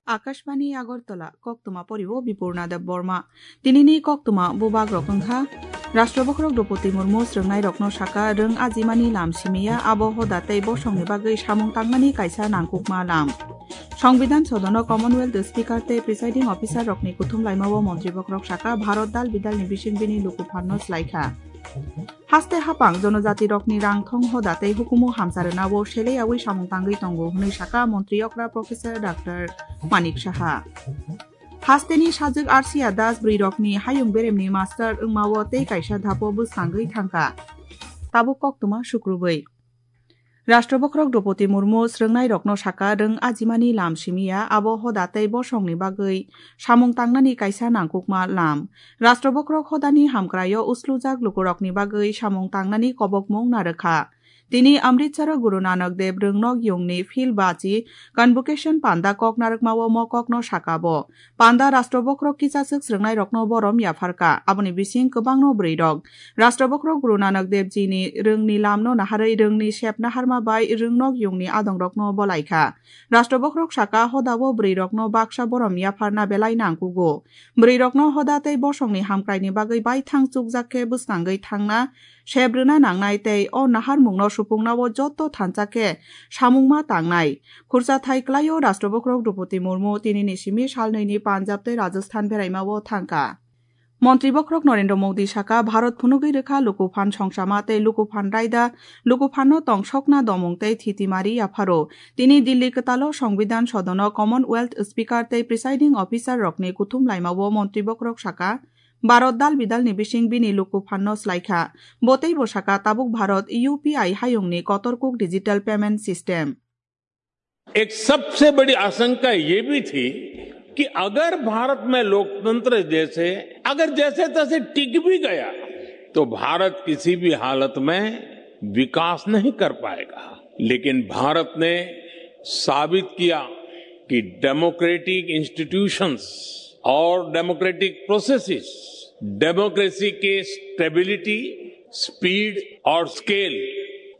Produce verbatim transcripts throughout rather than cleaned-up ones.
Akashbani Agartala, koktwma poribo Bipurna Deb Borma. Tinini koktwma bubak rok wngkha: Rashtra Bokhorok Droupadi Murmu srwngnai rokno saka, rwng ajimani lam simiya, abo hoda tei bosongni bagwi samung tangnani kaisa nangkukma lam. Songbidan sodono Commonwealth Speaker tei Presiding Officer rokni kuthum laimao montri bokhorok saka, Bharat dal bidalni bising bini luku phanno slaikha. Haste hapang jonojati rokni rang thong hoda tei hukumu hamsa rwnao sele yaui samung tangwi tongo hwnwi saka montri okra Professor Doctor Manik Saha. Hasteni sajwk Arsia Das bwrwi rokni hayung beremni master wngmao tei kaisa dhapo bwsangwi thangkha. Tabuk koktwma sukrubwi. Rashtra Bokhorok Droupadi Murmu srwngnai rokno saka, rwng ajimani lam simiya, abo hoda tei bosongni bagwi samung tangnani kaisa nangkukma lam. Rashtra Bokhorok hodani hamkraio uslujak lukurokni bagwi samung tangnani kobokmung narwkha. Tini Amritsaro Guru Nanak Dev Rwngnok Yungni Phil Bachi Convocation Panda kok narwkmao mo kokno sakabo. Panda Rashtra Bokhorok kichaswk srwngnairokno borom yapharkha, aboni bising kwbangno bwrwirok. Rashtra Bokhorok Guru Nanak Dev Ji ni rwngni lamno naharwi rwngni sep naharma bai Rwngnok Yungni adongrokno bolaikha. Rashtra Bokhorok saka, hodao bwrwirokno baksa borom yapharna belai nangkugo. Bwrwirokno hoda tei bosongni hamkraini bagwi baithang chukjak khe bwsangwi thangna sep rwna nangnai tei o naharmungno supungnao joto thansa khe samungma tangnai. Khursa thai klaio Rashtra Bokhorok Droupadi Murmu tinini simi salnwini Punjab tei Rajasthan beraimao thangkha. Montri Bokhorok Narendra Modi saka, Bharat phunugwi rwkha luku phan songsama tei luku phan raida, luku phanno tongsokna domung tei thitimari yapharo. Tini Delhi kwtalo Songbidan Sodono Commonwealth Speaker tei Presiding Officer rokni kuthum laimao montri bokhorok saka, Bharat dal bidalni bising bini luku phanno slaikha. Bo teibo saka, tabuk Bharat U P I hayungni kotor kuk digital payment system. एक सबसे बड़ी आशंका ये भी थी कि अगर भारत में लोकतंत्र जैसे अगर जैसे तैसे टिक भी गया तो भारत किसी भी हालत में विकास नहीं कर पाएगा। लेकिन भारत ने साबित किया कि डेमोक्रेटिक इंस्टीट्यूशंस और डेमोक्रेटिक प्रोसेसेस डेमोक्रेसी के स्टेबिलिटी, स्पीड और स्केल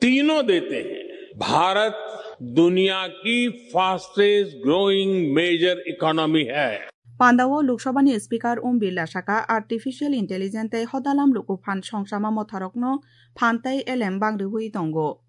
तीनों देते हैं। भारत दुनिया की फास्टेस्ट ग्रोइंग मेजर इकोनॉमी है। Pandao Lok Sabhani Speaker Om Birla saka, artificial intelligence tei hodalam luku phan songsama motharokno phan tei elem bangriwi tongo.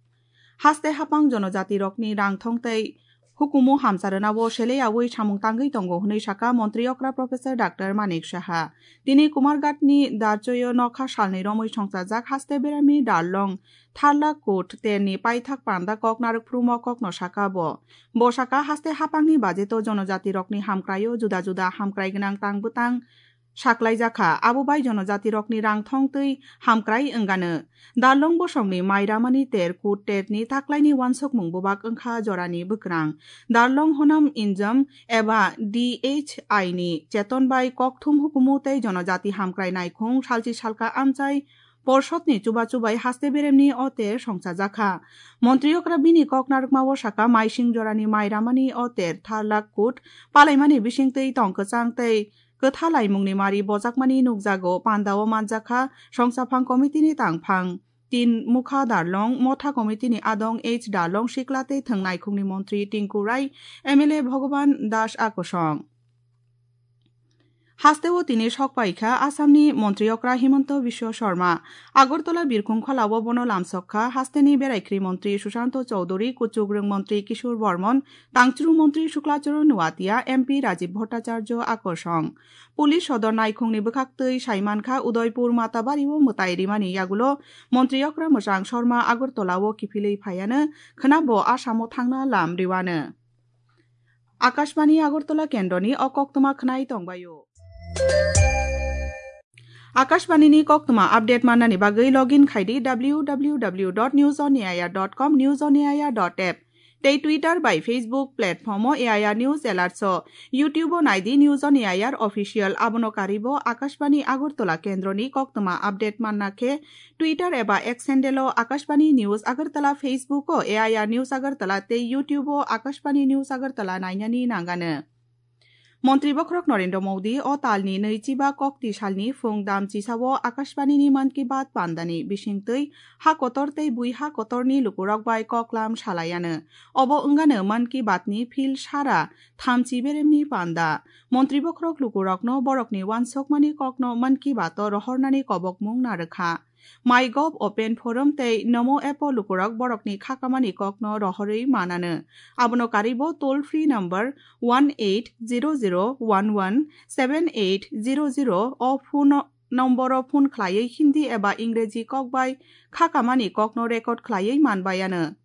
Haste hapang jonojatirokni rang thong tei hukumu hamsa rwnao sele yaui samung tangwi tongo hwnwi saka montri okra Professor Doctor Manik Saha. Tini Kumarghatni Darchoyo nokha salni romwi songsajak haste berami Darlong Tharlak Kut terni paithak panda kok narwk phrumo kokno saka bo. Bo saka, haste hapangni bajeto jonojatirokni hamkraio juda juda hamkrai gwnang tang bwtang saklaijakha, abo bai jonojatirokni rang thong twi hamkrai wngano. Darlong bosongni mai ramani ter kut terni taklaini wansukmung bubak wngkha jorani bwkrang. Darlong Honam Injam eba D H I ni cheton bai kokthum hukumu tei jonojati hamkrai naikhung salchi salka amchai Porshotni chubachu bai haste beremni o ter songchajakha. Montri okra bini kok narwkmao saka, maising jorani mai ramani o ter Tharlak Kut palaimani bisingtwi tong kwchang tei kwtha laimungni mari bojakmani nukjago. Pandao manjakha songchaphang komitini tangphang Tin Mukha Darlong, Motha komitini adong H Darlong, sikla tei thwng naikhungni montri Tinku Rai, M L A Bhogoban Das akosong. Hasteo tini sok paikha Assamni montri okra Himanta Biswa Sarma. Agartala birkhung kholao bono lamsok kha hasteni beraikhri montri Sushanto Chowdhury, kuchukrwng montri Kishore Bormon, tangchru montri Shukla Charan Noatia, M P Rajiv Bhattacharya akosong. Police sodor naikhungni bwkhaktwi saimankha Udaipur Matabario mwtai rimani yagulo montri okra mwchang Sarma Agartalao kiphilwi phaiano, khwnabo Assamo thangna lam riwano. Akashbani Agartala kendroni o koktwma khwnai tongbaio. Akashbani ni koktwma update mannani bagwi login khaidi W W W dot news on A I R dot com, news on A I R dot app tei Twitter bai Facebook platform o A I R News Alerts o, YouTube o naidi News on A I R Official, abono karibo Akashbani Agartala kendroni koktwma update manna khe Twitter eba X handle o Akashbani News Agartala, Facebook o A I R News Agartala tei YouTube o Akashbani News Agartala nainani nangano. Montri bokhorok Narendra Modi o talni nwichiba kokti salni phung dam chisao Akashbanini Mann Ki Baat pandani bisingtwi ha kotor tei bui ha kotorni lukurok bai koklam salaiano. Obo wngano Mann Ki Baatni phil sara thamchi beremni panda. Montri bokhorok lukurokno borokni uansukmani kokno Mann Ki Baat-o rohornani kobokmung narwkha. MyGov Open Forum tei Namo app-o lukurok borokni khakamani kokno rohorwi manano. Abono karibo toll free number one eight zero zero one one seven eight zero zero o phone nomboro phone khlaiwi Hindi eba Ingreji kok bai khakamani kokno record khlaiwi manbaiano.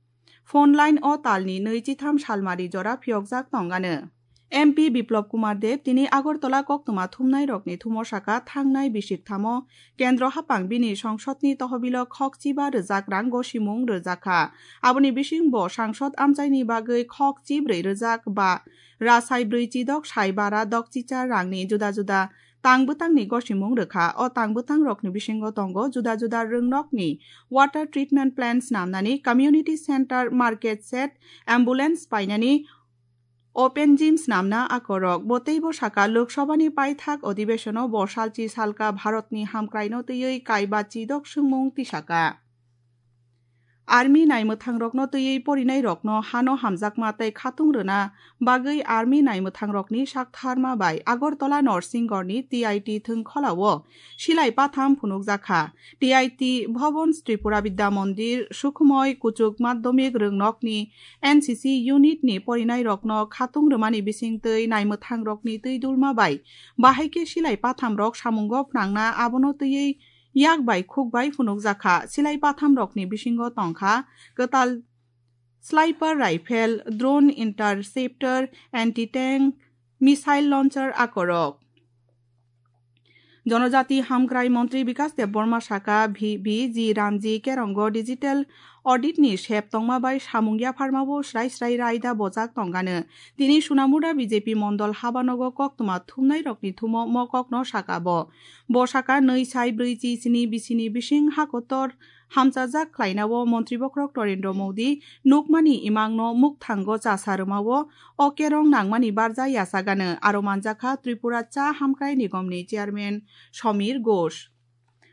Phone line o talni nwi chitham salmari jora phiyokjak tongano. M P Biplab Kumar Deb tini Agartala koktwma thumnairokni thumo saka thangnai bisikthamo kendro haphang bini songsodni tohobilo khok chiba rwjak rang gosimung rwjakha. Aboni bising bo sangsod amchaini bagwi khok chibrwi rwjak ba rasai brwi chidok sai bara dok chichar rangni juda juda tang bwtangni gosimung rwkha. O tang bwtangrokni bisingo tongo juda juda rwngnokni water treatment plant snamnani, community center, market shed, ambulance painani, open gym snamna akorok. Bo teibo saka, Lok Sabhani paithak odibeshono bo salchi salka Bharatni hamkraino twiwi kaiba chidok swngmung tisaka. Army naimwthangrokno twiwi porinairokno hano hamjakma tei khatung rwna bagwi army naimwthangrokni saktharma bai Agartala Norsinggorni T I T thwngkholao silai patham phunukjakha. T I T Bhavan, Tripura Vidya Mandir, Sukhmoy, Kuchuk Madhyamik Rwngnokni N C C unit ni porinairokno khatung rwmani bisingtwi naimwthangrokni twi dulma bai bahai khe silai pathamrok samungo phnangna, abono twiwi yak bai khuk bai phunukjakha. Silai pathamrokni bisingo tongkha kwtal sniper rifle, drone interceptor, anti-tank missile launcher akorok. Jonojati hamkrai montri Bikas Debbarma saka, V G Ramji Kerongo digital audit ni sep tongma bai samung yapharmao srai srai raida bojak tongano. Tini Sunamuda B J P mondol habanogo koktwma thumnairokni thumo mokokno saka bo. Bo saka nwi sai brwi chi sini bisini bising hakotor hamchajak khlainao montri bokhorok Narendra Modi nukmani imangno mukthango chasa rwmao o kerong nangmani barja yachagano. Aro manjakha Tripura Cha Hamkrai Nigomni chairman Samir Ghosh.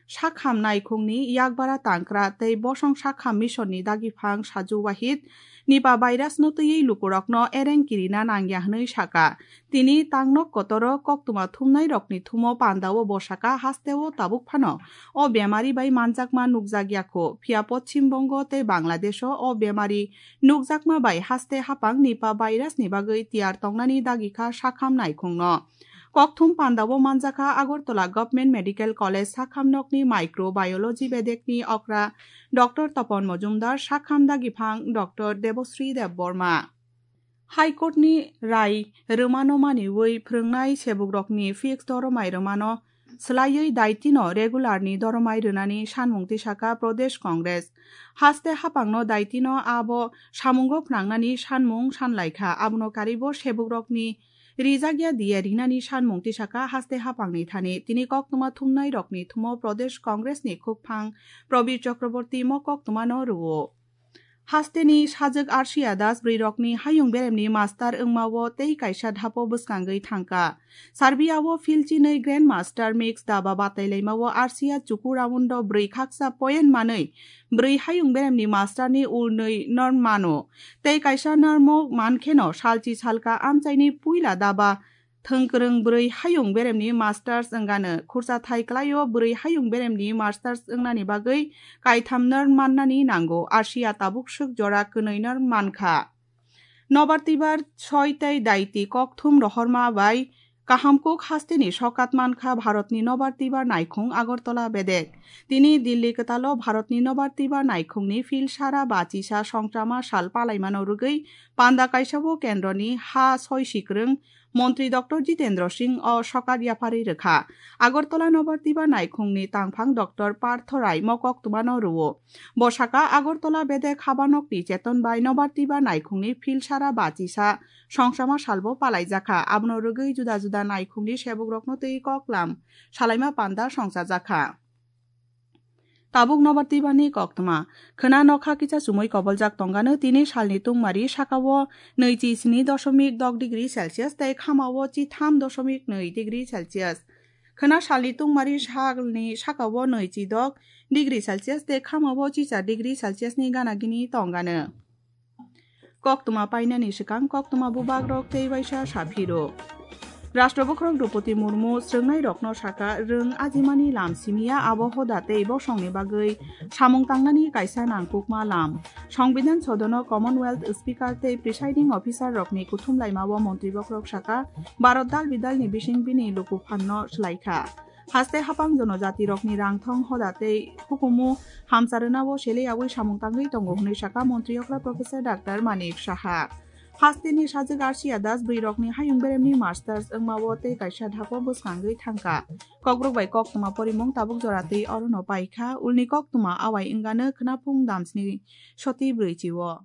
Sakham naikhungni yakbara tangkra tei bosong sakham misonni dagiphang Saju Wahid Nipah virus no twiwi lukurokno ereng kirina nangya hwnwi saka. Tini tangnok kotoro koktwma thumnairokni thumo pandao bo saka, hasteo tabuk phano o bemari bai manjakma nukjakya kho. Phiya Poschim Bongo tei Bangladesho o bemari nukjakma bai haste haphang Nipah virus ni bagwi tiyar tongnani dagikha sakham naikhungno. Kokthum pandao manjakha Agartala Government Medical College sakhamnokni microbiology bedekni okra Doctor Tapan Majumdar, sakham dagiphang Doctor Debashree Debbarma. High Court ni rai rwmano maniwi phwrwngnai sebukrokni fixed doromai rwmano swlaiwi daitino regular ni doromai rwnani sanmung tisaka Pradesh Congress. Haste haphangno daitino abo samungo phnangnani sanmung sanlaikha, abono karibo sebukrokni rijakya diya rinani sanmung tisaka haste haphangni thani. Tini koktwma thumnairokni thumo Pradesh Congress ni khukphang Prabir Chakraborty mo koktwmano rwo. Hasteni sajwk Arsiya Das bwrwirokni hayung beremni master wngmao tei kaisa dhapo bwskangwi thangkha. Serbia-o philchinwi Grand Master Mix daba batailaimao Arsiya chuku round-o bwrwi khaksa point manwi bwrwi hayung beremni masterni ulnwi norm mano. Tei kaisa normo mankheno salchi salka amchaini puila daba thwngkwrwng bwrwi hayung beremni masters wngano. Khurcha thai kwlaio bwrwi hayung beremni masters wngnani bagwi kaitham norm mannani nango. Arsiya tabuk swk jora kwnwi norm mankha. Nobar twibar soi tei daiti kokthum rohorma bai kaham kuk hasteni sokat mankha Bharatni nobar twibar naikhung Agartala bedek. Tini Delhi kwtalo Bharatni nobar twibar naikhungni phil sara bachisa songchama sal palaimano rwgwi panda kaisao kendroni ha soi sikwrwng Montri Doctor Jitendra Singh o sokat yapharwi rwkha. Agartala nobar twibar naikhungni tangphang Doctor Partho Rai mokok twmano rwo. Bo saka Agartala bedek habanokni cheton bai nobar twibar naikhungni phil sara bachisa songchama salbo palaijakha. Abono rwgwi juda juda naikhungni sebukrokno twi koklam salaima panda songchajakha. Tabuk nobar twibani koktwma. Khwna nokha kisa chumui koboljak tongano tini salni tungmari sakao nwichi sini doshomik dok degree Celsius tei khamao chi tham doshomik nwi degree Celsius. Khwna salni tungmari salni sakao nwichi dok degree Celsius tei khamao chi char degree Celsius ni gana gini tongano. Koktwma painani swkang koktwma bubagrok tei waisa saphiro. Rashtra Bokhorok Droupadi Murmu srwngnairokno saka, rwng ajimani lam simiya abo hoda tei bosongni bagwi samung tangnani kaisa nangkukma lam. Songbidan sodono Commonwealth Speaker tei Presiding Officer rokni kuthum laimao montri bokhorok saka, Bharat dal bidalni bising bini luku phanno swlaikha. Haste hapang jonojatirokni rangthong hoda tei hukumu hamcharwnao seleyawi samung tangwi tongo hwnwi saka montri okra Professor Doctor Manik Saha. Hasteni sajwk Arsia Das bwrwirokni hayung beremni masters wngmao tei kaisa dhako bwskangwi thangkha. Kokborok bai koktwma porimung tabuk jora twi orono paikha, ulni koktwma awai wngano khwnaphung damsni soti brwichio.